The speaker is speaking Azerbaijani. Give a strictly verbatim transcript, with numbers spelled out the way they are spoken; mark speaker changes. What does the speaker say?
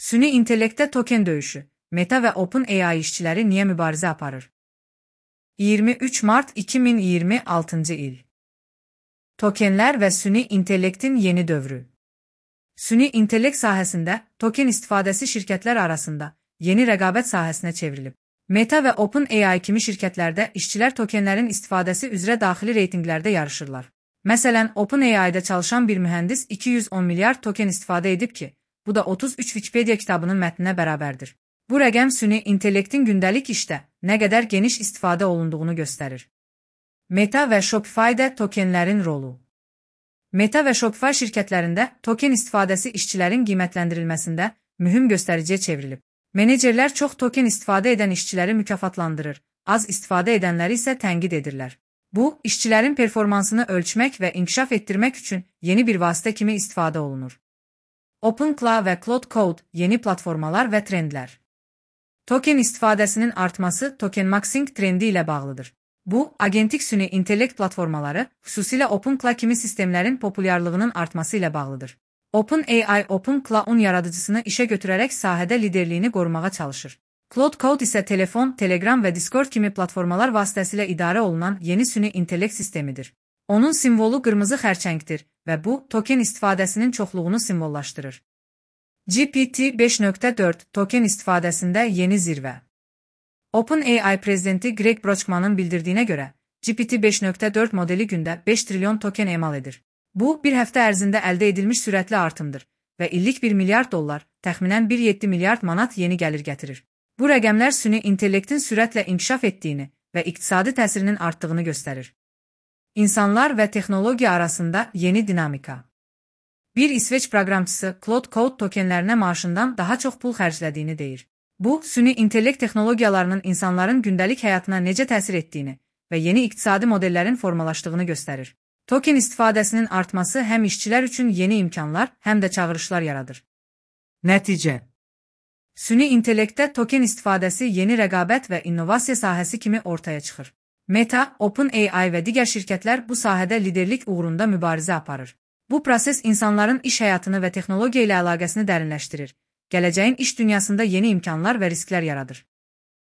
Speaker 1: Süni intellektdə token döyüşü. Meta və OpenAI işçiləri niyə mübarizə aparır? iyirmi üç mart iki min iyirmi altıncı il. Tokenlər və süni intellektin yeni dövrü. Süni intellekt sahəsində token istifadəsi şirkətlər arasında yeni rəqabət sahəsinə çevrilib. Meta və OpenAI kimi şirkətlərdə işçilər tokenlərin istifadəsi üzrə daxili reytinqlərdə yarışırlar. Məsələn, OpenAI-da çalışan bir mühəndis iki yüz on milyard token istifadə edib ki, bu da otuz üç Wikipedia kitabının mətninə bərabərdir. Bu rəqəm süni intellektin gündəlik işdə nə qədər geniş istifadə olunduğunu göstərir. Meta və Shopify-də tokenlərin rolu. Meta və Shopify şirkətlərində token istifadəsi işçilərin qiymətləndirilməsində mühüm göstəriciyə çevrilib. Menecerlər çox token istifadə edən işçiləri mükafatlandırır, az istifadə edənləri isə tənqid edirlər. Bu, işçilərin performansını ölçmək və inkişaf etdirmək üçün yeni bir vasitə kimi istifadə olunur. OpenClaw və Claude Code yeni platformalar və trendlər. Token istifadəsinin artması tokenmaxing trendi ilə bağlıdır. Bu, agentik süni intellekt platformaları, xüsusilə OpenClaw kimi sistemlərin populyarlığının artması ilə bağlıdır. OpenAI OpenClaw-un yaradıcısını işə götürərək sahədə liderliyini qorumağa çalışır. Claude Code isə telefon, Telegram və Discord kimi platformalar vasitəsilə idarə olunan yeni süni intellekt sistemidir. Onun simvolu qırmızı xərçəngdir və bu, token istifadəsinin çoxluğunu simvollaşdırır. G P T beş nöqtə dörd token istifadəsində yeni zirvə. OpenAI prezidenti Greg Brockman'ın bildirdiyinə görə, G P T beş nöqtə dörd modeli gündə beş trilyon token emal edir. Bu, bir həftə ərzində əldə edilmiş sürətli artımdır və illik bir milyard dollar, təxminən bir nöqtə yeddi milyard manat yeni gəlir gətirir. Bu rəqəmlər süni intellektin sürətlə inkişaf etdiyini və iqtisadi təsirinin artdığını göstərir. İnsanlar və texnologiya arasında yeni dinamika. Bir İsveç proqramçısı Claude Code tokenlərinə maaşından daha çox pul xərclədiyini deyir. Bu, süni intellekt texnologiyalarının insanların gündəlik həyatına necə təsir etdiyini və yeni iqtisadi modellərin formalaşdığını göstərir. Token istifadəsinin artması həm işçilər üçün yeni imkanlar, həm də çağırışlar yaradır. Nəticə. Süni intellektdə token istifadəsi yeni rəqabət və innovasiya sahəsi kimi ortaya çıxır. Meta, OpenAI və digər şirkətlər bu sahədə liderlik uğrunda mübarizə aparır. Bu proses insanların iş həyatını və texnologiya ilə əlaqəsini dərinləşdirir. Gələcəyin iş dünyasında yeni imkanlar və risklər yaradır.